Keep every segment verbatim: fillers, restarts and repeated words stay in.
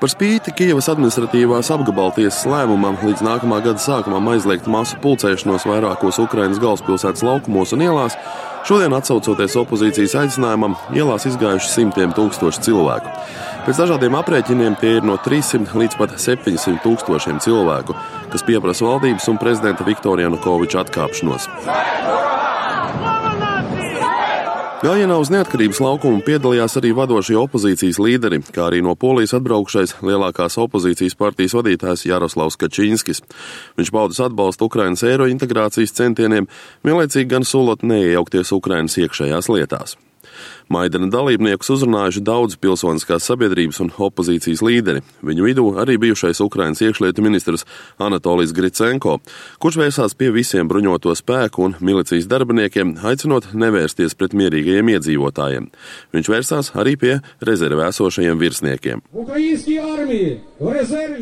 Par spīti Kijevas administratīvās apgabaltiesas lēmumam līdz nākamā gada sākumam aizliegt masu pulcēšanos vairākos Ukrainas galvaspilsētas laukumos un ielās, šodien atsaucoties opozīcijas aicinājumam, ielās izgājuši simtiem tūkstoši cilvēku. Pēc dažādiem aprēķiniem tie ir no trīssimt līdz pat septiņsimt tūkstošiem cilvēku, kas pieprasa valdības un prezidenta Viktora Janukoviča atkāpšanos. Gājienā uz neatkarības laukumu piedalījās arī vadošie opozīcijas līderi, kā arī no Polijas atbraukšais lielākās opozīcijas partijas vadītājs Jaroslavs Kačinskis. Viņš paudis atbalstu Ukrainas eirointegrācijas centieniem, vienlaicīgi gan solot neiejaukties Ukrainas iekšējās lietās. Maidana dalībniekus uzrunājuši daudz pilsoniskās sabiedrības un opozīcijas līderi. Viņu vidū arī bijušais Ukrainas iekšlietu ministrs Anatolijs Gricenko, kurš vērsās pie visiem bruņoto spēku un milicijas darbiniekiem, aicinot nevērsties pret mierīgajiem iedzīvotājiem. Viņš vērsās arī pie rezervē esošajiem virsniekiem.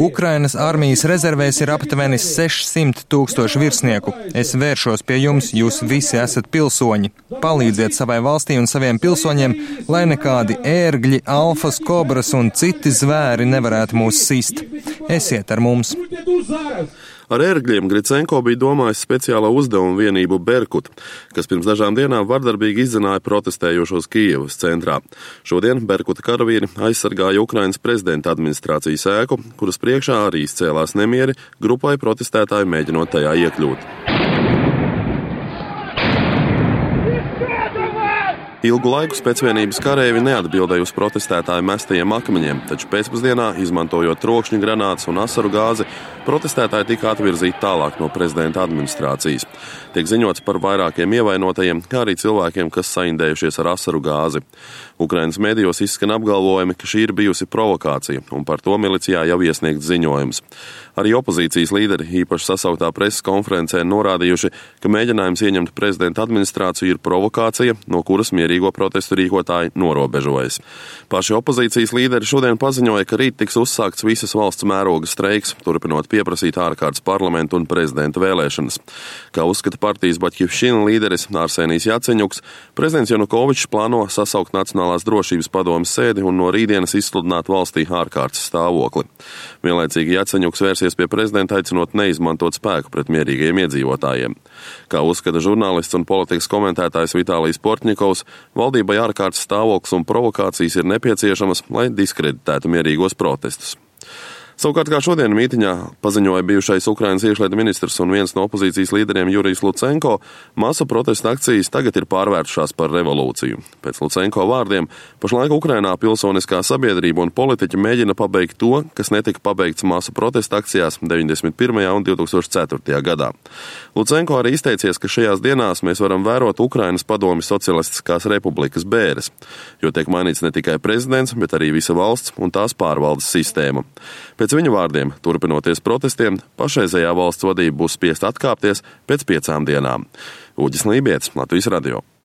Ukrainas armijas rezervēs ir aptuveni sešsimt tūkstoši virsnieku. Es vēršos pie jums, jūs visi esat pilsoņi. Palīdziet savai valstī un saviem pilsoņiem, lai nekādi ērgļi, alfas, kobras un citi zvēri nevarētu mūs sist. Esiet ar mums! Ar ērgļiem Gricenko bija domājis speciālā uzdevuma vienību Berkut, kas pirms dažām dienām vardarbīgi izzināja protestējošos Kijevas centrā. Šodien Berkuta karavīri aizsargāja Ukrainas prezidenta administrācijas ēku, kuras priekšā arī izcēlās nemieri, grupai protestētāji mēģinot tajā iekļūt. Ilgu laiku spēcvienības kareivi neatbildēja uz protestētāju mestajiem akmeņiem, taču pēcpusdienā, izmantojot trokšņu granātas un asaru gāzi, protestētāji tika atvirzīti tālāk no prezidenta administrācijas. Tiek ziņots par vairākiem ievainotajiem, kā arī cilvēkiem, kas saindējušies ar asaru gāzi. Ukrainas medijos izskan apgalvojumi, ka šī ir bijusi provokācija, un par to milicijā jau iesniegts ziņojums. Arī opozīcijas līderi īpaši sasauktā preses konferencē norādījuši, ka mēģinājums ieņemt prezidenta administrāciju ir provokācija, no kuras mierīgo protestu rīkotāji norobežojas. Paši opozīcijas līderi šodien paziņoja, ka rīt tiks uzsākts visas valsts mēroga streiks, turpinot pieprasīt ārkārtas parlamentu un prezidenta vēlēšanas. Kā uzskata partijas Baķivšina līderis Arsenijs Jaceņuks, prezidents Janukovičs plāno sasaukt Nacionālās drošības padomes sēdi un no rītdienas izsludināt valstī ārkārtas stāvokli. Vienlaicīgi Jaceņuks vērsies pie prezidenta aicinot neizmantot spēku pret mierīgajiem iedzīvotājiem. Kā uzskata žurnālists un politikas komentētājs Vitālijs Portņikovs, valdībai ārkārtas stāvoklis un provokācijas ir nepieciešamas, lai diskreditētu mierīgos protestus. Savukārt, kā šodien mītiņā paziņoja bijušais Ukrainas iekšlietu ministrs un viens no opozīcijas līderiem Jurijs Lucenko, masu protesta akcijas tagad ir pārvērtušās par revolūciju. Pēc Lucenko vārdiem, pašlaik Ukrainā pilsoniskā sabiedrība un politiķi mēģina pabeigt to, kas netika pabeigts masu protesta akcijās deviņdesmit pirmajā un divtūkstoš ceturtajā gadā. Lucenko arī izteicies, ka šajās dienās mēs varam vērot Ukrainas padomju socialistiskās republikas bēres, jo tiek mainīts ne tikai prezidents, bet arī visa valsts un tās pārvaldes sistēma. Pēc viņa vārdiem, turpinoties protestiem, pašreizējā valsts vadība būs spiest atkāpties pēc piecām dienām. Uģis Lībietis, Latvijas radio.